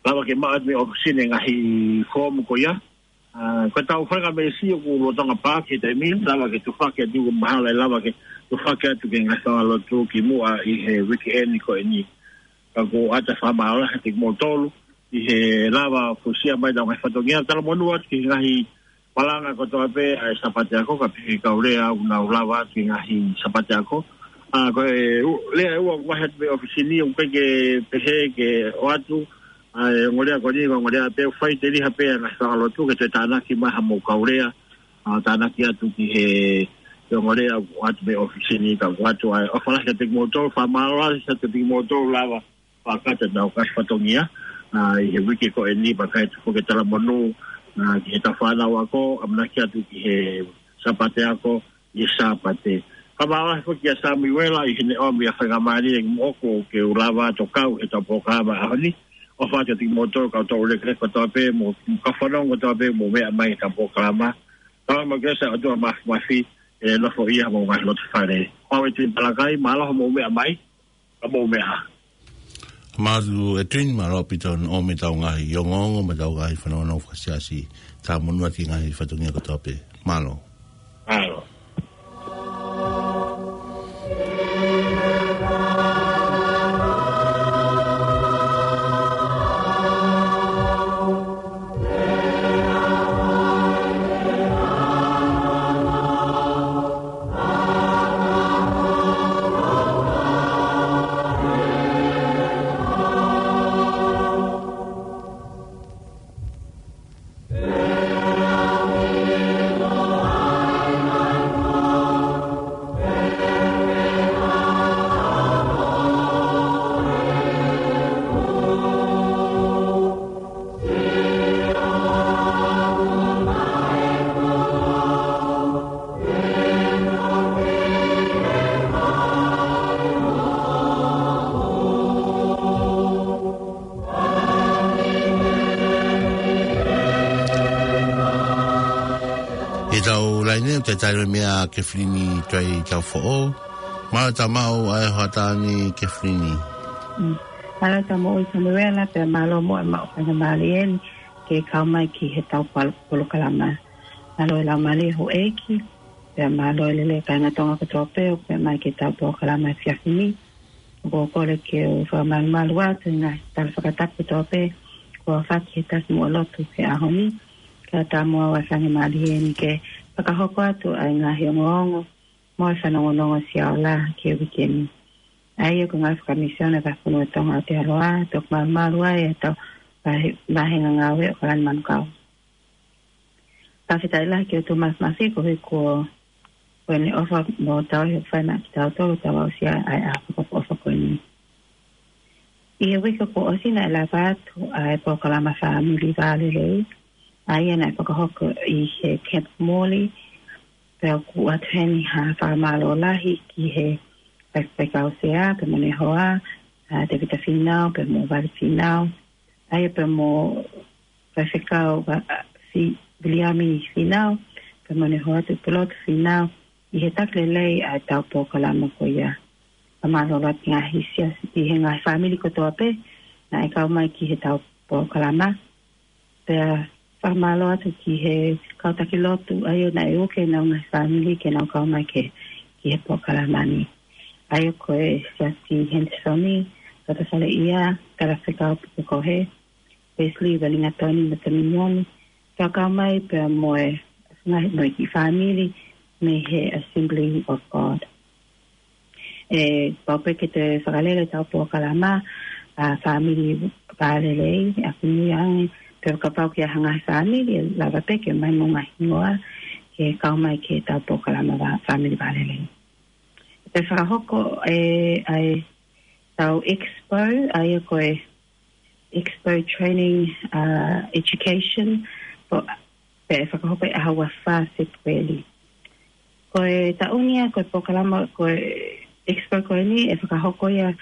lava ke maʻu atu mei ʻōfisi ni e ngaahi foomu ko ia. ʻA, ko ʻetau fanga meesi ʻoku lolotonga paaki he taimi ni, lava ke tufaki atu ko mahalo ʻe lava ke tufaki atu ki he ngaahi fanga lotu kimuʻa ʻi he weekend ko eni. Ka ʻoku ou ʻatā fakamālō lahi kiate kimoutolu ʻi he lava fuesia mai ʻetau ngaahi fatongia, talamonū atu ki he ngaahi malanga kotoa pē ʻa e Sāpate ako, ka pehē kau lea ʻoku nau lava atu ki he ngaahi Sāpate ako. ʻA, ko e u-, lea ʻe ua ʻoku vahe atu mei he ʻōfisi ni, ʻoku ʻikai ke pehē ke ʻoatu ʻa e ongo lea ko eni, ko e ongo lea pē ʻoku fai teliha pē ʻa e ngaahi fanga lotu ke toe tānaki mai haʻamou kau lea, ʻa, tānaki atu ki he, he ongo lea ʻoku ʻoatu mei he ʻōfisi ni, ka ʻoku ʻoatu ʻa e ʻofa lahi kiate kimoutolu, fakamālō lahi kiate kimoutolu lava fakakakato ʻenau ngaahi fatongia, ʻa, ʻi he uike ko eni, pea ʻikai ke toe foki e talamonū, ʻa, ki heʻetau fānau ako, ʻamanaki atu ki he Sāpate ako, ʻi he Sāpate. Fakamālō lahi foki kia Samiuela ʻi heʻene ʻomi ʻa e faingamālie ʻoku ou lava atu ʻo kau heʻetau polokalama ʻaho ni. ʻOfa atu kiate kimoutolu kau tau lekeleka kotoa pē mo e kau fanongo kotoa pē ʻoku mou meʻa mai heʻetau polokalama. Tau mo ke sa atu a mafimafi ʻe nofo ia mo e ngaahi loto fale. Ko au ʻEtuini Palakai, mālō hoʻomou meʻa mai. Ka mou meʻa. Mālō ʻEtuini, mālō ʻaupito hoʻo ʻomi ʻetau ngaahi ongoongo mo ʻetau ngaahi fanongonongo fakasiasi. Talamonū atu ki he ngaahi fatongia kotoa pē. Mālō. Mālō. ʻI heʻetau laine, ʻoku tau tali mai ʻa Kefilini Tuʻitaufoʻou. Mālō e tau maʻu ʻa e hoʻatā ni Kefilini. Mm. Mālō e tau maʻu ʻi Samuela, pea mālō mo e maʻu faingamālie ni ke kau mai ki heʻetau pol-, polokalama. Mālō e laumālie houʻeiki, pea mālō e lelei kāinga Tonga kotoa pē ʻoku meʻa mai ki heʻetau polokalama efiafi ni. ʻOku ou kole ke u fakamalumalu atu ʻi he ngaahi tala fakatapu kotoa pē kuo aofaki he taki muʻa lotu he ʻaho ni. Kae ʻatā mo au ʻa e faingamālie ni ke fakahoko atu ʻa e ngaahi ongoongo mo e fanongonongo Sia Ola ki he uike ni. ʻA ia ko e ngāue fakamisiona ʻa e Vahefonua ʻo Tonga ʻi Aotearoa, toki malumalu ai ʻetau vahe-, vāhenga ngāue ʻo Kalani Manukau. Fakafetaʻi lahi ki he ʻOtua Mafimafi koeʻuhi ko ʻene ʻofa mo tauhi ʻoku fai maʻa kitautolu ʻo tau aʻusia ʻa e ʻaho fakaʻofoʻofa ko eni. ʻI he uike kuo ʻosi naʻe lava atu ʻa e polokalama Fāmili Vālelei, ʻa ia naʻe fakahoko ʻi he Camp Morley, pea ʻoku ʻoatu heni ha fakamālō lahi ki he faifekau sea, pea mo ʻene hoa, ʻa Tevita Fīnau, pea mo Vale Fīnau, ʻa ia pea mo Faifekau, ʻa, ʻa, Fi-, Viliami Fīnau, pea mo ʻene hoa Tuʻipulotu Fīnau, ʻi he taki lelei ʻa ʻetau polokalama ko ia. Fakamālō atu ki he ngaahi siasi, ki he ngaahi fāmili kotoa pē naʻe kau mai ki heʻetau polokalama. Pea fakamālō atu ki he kau taki lotu, ʻa ia naʻe uke ʻenau ngaahi fāmili ke nau kau mai ki, ki he polokalama ni. ʻA ia ko e Siasi Henderson, Tata Saleʻia, Talafekau Pukekohe, Wesley Valingatoni mo Taminioni, kau mai pea mo e ngaahi mo e kiʻi fāmili mei he Assembly of God. ʻE, pau pē ke toe fakalele ʻetau polokalama, ʻa, Fāmili Vālelei, ʻa, kumi ange, pea kapau ʻoku ʻi ai ha ngaahi fāmili, ʻe lava pē ke ʻomai mo e ngaahi hingoa, ke kau mai ki heʻetau polokalama vā-, Fāmili Vālelei. Pea fakahoko, ʻe, ʻa e, ʻetau expo, ʻa ia ko e Expo Training, ʻa, Education, ko, pea ʻe fakahoko ʻi he ʻaho ua fā Fēpueli. Ko e taʻu ni ia, ko e polokalama, ko e expo ko eni, ʻe fakahoko ia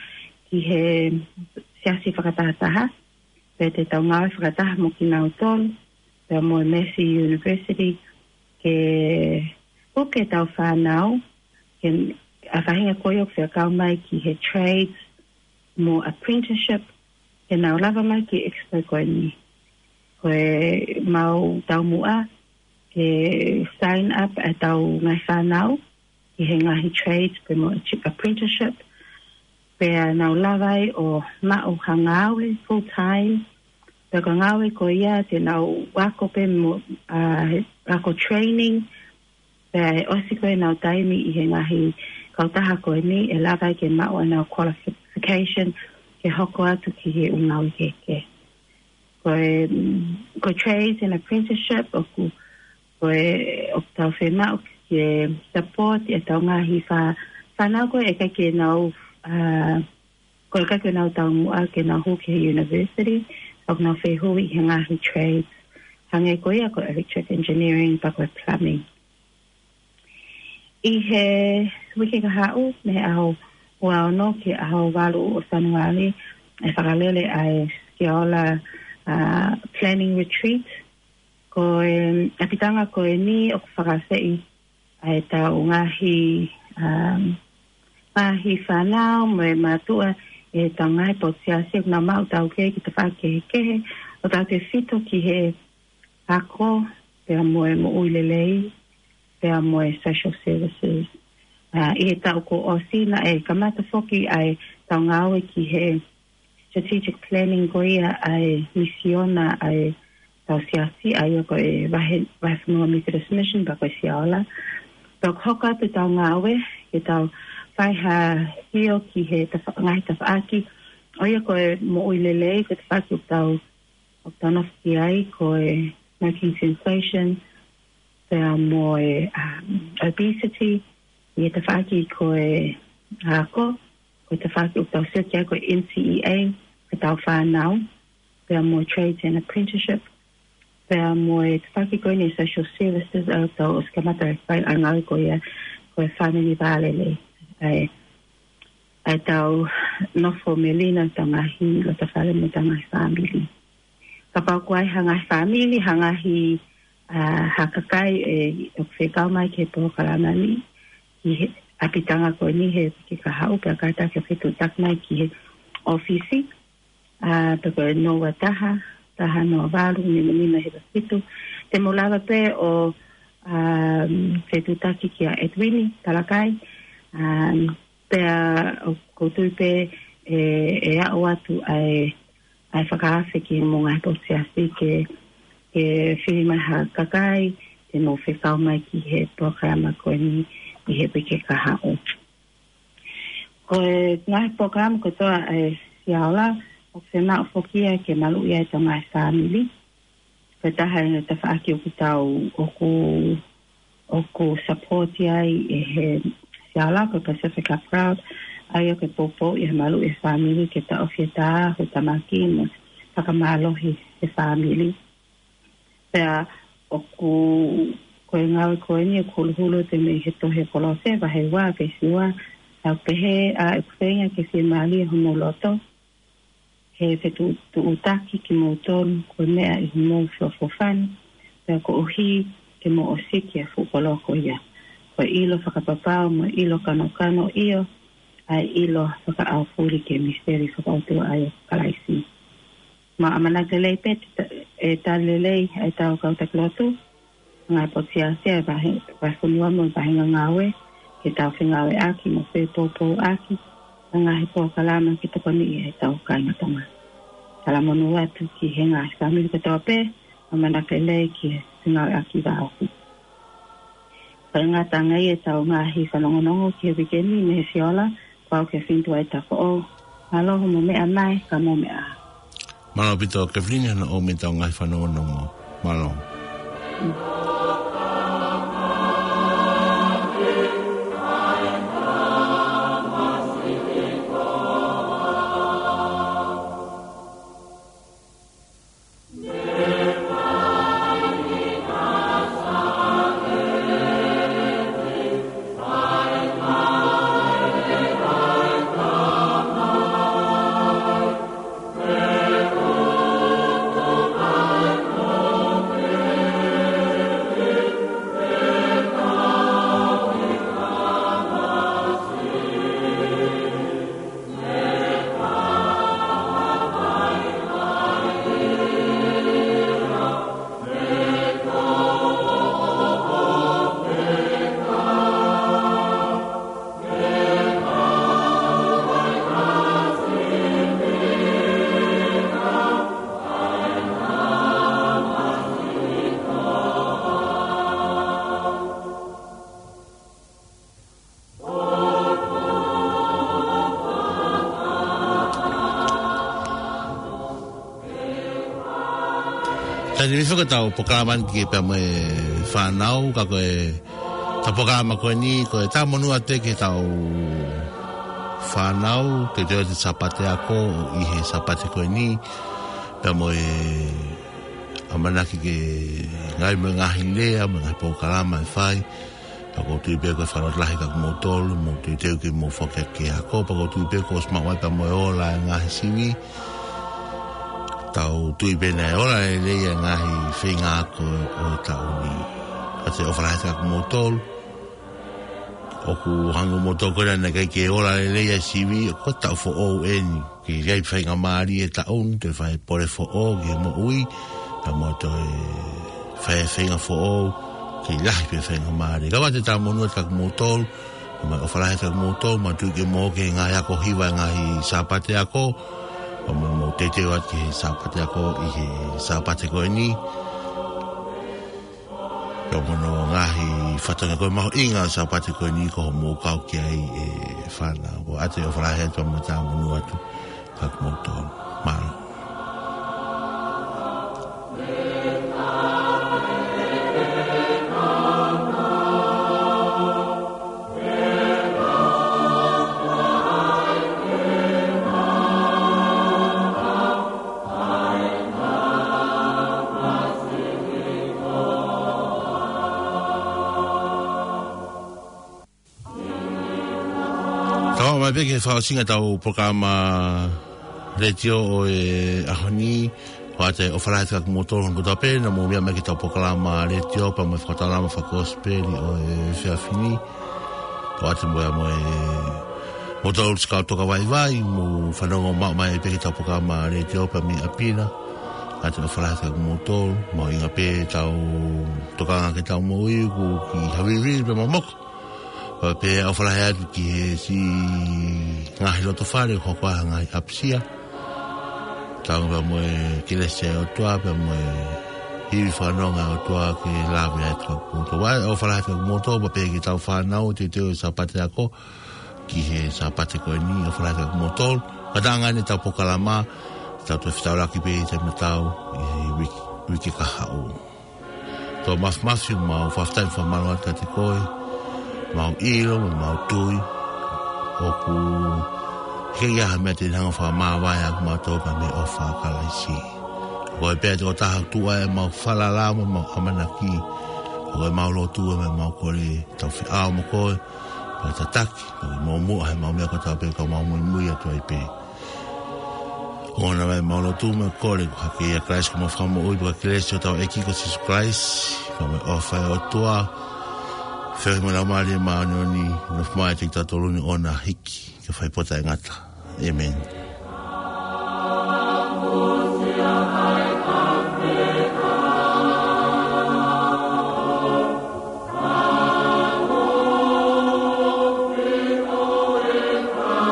ki he siasi fakatahataha, pea te tau ngāue fakataha mo kinautolu, pea mo e Massey University, ke puke ʻetau fānau, ke ʻa e faʻahinga ko ia ʻoku fekau mai ki he trades mo apprenticeship, ke nau lava mai ki he expo ko eni. Ko e mau taumuʻa, ke sign up ʻetau ngaahi fānau, ki he ngaahi trades, pea mo apprenticeship, pea nau lava ai ʻo maʻu ha ngāue full time, Pea ko e ngāue ko ia te nau ako pē mo, ʻa, ako training, pea ʻosi ko ē ʻenau taimi ʻi he ngaahi kautaha ko eni ʻe lava ai ke maʻu ʻenau qualification ke hoko atu ki he ʻū ngāue kehekehe. Ko e, mm, ko e trades and apprenticeship ʻoku, ko e, ʻoku tau fiemaʻu ke support ʻetau ngaahi fā-, fānau ko ē ʻikai ke nau, ʻa, ko e ʻikai ke nau taumuʻa ke nau hū ki he university, ʻoku nau fehuʻi he ngaahi trades. Hangē ko ia ko e electric engineering, pea ko e plumbing. ʻI he uike kahaʻu, mei he ʻaho ua ono ki he ʻaho valu ʻo Sānuali, ʻe fakalele ʻa e Siaola, ʻa, planning retreat. Ko e ʻapitanga ko eni ʻoku fakaafeʻi ʻa ʻetau ngaahi, um, ngaahi fānau mo e mātuʻa ʻi heʻetau ngaahi potu siasi ʻoku nau maʻu taukei ki he tafaʻaki kehekehe ʻo tautefito ki he ako, pea mo e moʻui lelei, pea mo e social services. ʻA, ʻi he taʻu kuo ʻosi naʻe kamata foki ʻa ʻetau ngāue ki he strategic planning ko ia ʻa e misiona ʻa ʻetau siasi, ʻa ia ko e vahe, vahefonua Methodist Mission pea ko e Siaola. Pea ʻoku hoko atu ʻetau ngāue ke tau fai ha sio ki he tafa-, ngaahi tafaʻaki, ʻa ia ko e moʻui lelei, ko e tafaʻaki ʻoku tau, ʻoku tau nofo ki ai, ko e smoking cessation, pea mo e, um, obesity, ʻi he tafaʻaki ko e ako, ko e tafaʻaki ʻoku tau sio ki ai ko e N C E A, ko ʻetau fānau, pea mo e trades and apprenticeship, pea mo e tafaʻaki ko eni social services ʻoku tau ʻosi kamata e fai ʻa e ngāue ko ia, ko e family vālelei. ʻA e, ʻa ʻetau nofo melino ʻetau ngaahi lotofale mo ʻetau ngaahi fāmili. Kapau ʻoku ʻi ai ha ngaahi fāmili, ha ngaahi, ʻa, ha kakai ʻe, ʻoku fekau mai ki he polokalama ni, ʻi he ʻapitanga ko eni he uike kahaʻu, pea kātaki ʻo fetuʻutaki mai ki he ʻōfisi, ʻa, pea ko e noa ua taha, taha noa valu, nima nima hiva fitu. Te mou lava pē ʻo, um, fetuʻutaki kia Edwini Talakai, um, pea ʻoku ou tui pē ʻe, ʻe aʻu atu ʻa e, ʻa e fakaafe ki he mo e ngaahi potu siasi ke, ke fili mai ha kakai, te nau fekau mai ki he polokalama ko eni ʻi he uike kahaʻu. Ko e ngaahi polokalama kotoa ʻa e Siaola, ʻoku fiemaʻu foki ia ke maluʻi ai ʻetau ngaahi fāmili. Ko e taha e tafaʻaki ʻoku tau, ʻoku, ʻoku support ai ʻe he Siaola ko e Pacific Afraod, ʻa ia ko e poupou ʻi he maluʻi e fāmili ke taʻofi e tā, hū tamaki mo fakamālohi e fāmili. Pea ʻoku, ko e ngāue ko eni ʻoku huluhulu atu mei he tohi Kolose, vahe ua, veesi ua, ʻoku pehē, ʻa, ʻoku feinga ke fiemālie homou loto, he fetuʻutaki kimoutolu ko e meʻa ʻi homou feʻofoʻofani, pea koeʻuhi ke mou ʻosiki ʻa e fuʻu koloa ko ia. Ko e ʻilo fakapapau mo e ʻilo kanokano, ʻio, ʻa e ʻilo fakaʻaufuli ki he misiteli fakaʻotua ʻa ia ko Kalaisi. Mau ʻamanaki lelei pē te ta-, ʻe tali lelei ʻetau kau taki lotu, ngaahi potu siasi ʻa e vahe, vahefonua mo e vahenga ngāue, ke tau fengāueʻaki mo fepoupouʻaki ʻa e ngaahi polokalama ke tokoniʻi ʻetau kāinga Tonga. Talamonū atu ki he ngaahi fāmili kotoa pē, ʻamanaki lelei ki he fengāueʻaki vāofi. Ko e ngata ange ia ʻetau ngaahi fanongonongo ki he uike ni mei he Siaola, ko au Kefilini Tuʻaitafoʻou. Mālō hoʻomou meʻa mai, ka mou meʻa ā. Mālō ʻaupito Kefilini hono ʻomai ʻetau ngaahi fanongonongo. Mālō. Tani mi faka tau polokalama ni ki pea mo e fānau, ka ko e tau polokalama ko eni, ko e tau monū atu ki he tau fānau, teuteu atu e Sāpate Ako ʻi he Sāpate ko eni, pea mo e ʻamanaki ke ngaahi mo e ngaahi lea, mo e ngaahi polokalama ʻe fai, pea ʻoku ou tui pē ko e fakalotolahi kiate kimoutolu, mou teuteu ke mou foki ki he ako, pea ʻoku ou tui pē kuo ʻosi maʻu ai pea mo e ola e ngaahi sivi. Tau tui pē naʻe ola lelei e ngaahi feinga ako ʻo e taʻu ni. ʻOatu e ʻofa lahi atu kiate kimoutolu. ʻOku hangē ko moutolu ko ena naʻe ʻikai ke ola lelei e sivi, ko e taʻu foʻou eni. Ke ʻi ai e faingamālie e taʻu ni, toe fai e pole foʻou ki he moʻui, pea mo toe fai e feinga foʻou, ke lahi pē faingamālie. Ka ʻoatu e tau monū atu kiate kimoutolu, pea mo e ʻofa lahi atu kiate kimoutolu, manatuʻi ke mou ō ki he ngaahi ako hiva e ngaahi Sāpate Ako, pea mo mou teuteu atu ki he Sāpate Ako ʻi he Sāpate ko eni. Pea mo hono ngaahi fatongia ko e mahuʻinga ʻo e Sāpate ko eni ko hoʻomou kau ki ai e fānau. ʻOatu e ʻofa lahi atu mo e tau monū atu kiate kimoutolu. Mālō. Tau ō mai pē ki he fakaʻosinga ʻetau polokalama letiō ʻo e ʻaho ni, ʻoatu e ʻofa lahi atu kiate kimoutolu hono kotoa pē naʻa mou meʻa mai ki heʻetau polokalama letiō pea mo e fakataulama fakakosipeli ʻo e efiafi ni. ʻOatu mo e, mo e, moutolu ʻoku kau toka vaivai, mou fanongo maʻu mai pē ki heʻetau polokalama letiō pea mei ʻapi na. ʻOatu e ʻofa lahi atu kiate kimoutolu, mahuʻinga pē ʻetau tokanga ki heʻetau moʻui, ʻoku kiʻi havili pē momoko. Pea pehē ʻofa lahi atu ki he siʻi ngaahi loto fale, hoko ʻa e ngaahi ʻapisia. Tau pea mo e kelesi ʻa e ʻOtua, pea mo e ivi fakanonga ʻa e ʻOtua ke lave atu kiate kimoutolu. ʻOatu e ʻofa lahi atu kiate kimoutolu, pea pehē ki heʻetau fānau, teuteu e Sāpate Ako ki he Sāpate ko eni, ʻofa lahi atu kiate kimoutolu. Ka ʻi he ngaahi ʻetau polokalama, tau toe fetaulaki pē ʻi he taimi tatau ʻi he uike, uike kahaʻu. Tau mafimafi, mau fakafetaʻi mo fakamālō atu kiate koe, mau ʻilo, mau tui, ʻoku ʻikai ha meʻa te ne hanga ʻo fakamāvae ʻa kimautolu pea mei he ʻofa ʻa Kalaisi. Ko koe pē ʻa e tokotaha ʻoku tuʻu ai ʻemau falala mo ʻemau ʻamanaki, ko koe ʻemau lotu mo ʻemau kole, tau feʻao mo koe, pea tataki, pea mo muʻa he mau meʻa kotoa pē ka mau muimui atu ai pē. ʻOku ʻoua naʻa mau lotu mo kole ko hake ʻia Kalaisi ko homau Fakamoʻui, pea ko e kelesi ʻa hotau ʻEiki ko Sīsū Kalaisi, pea mo e ʻofa ʻa e ʻOtua, feohi mo e Laumālie Māʻoniʻoni, nofo maʻa kitautolu ni ʻo na hiki ki he fai pō taʻengata. ʻĒmeni.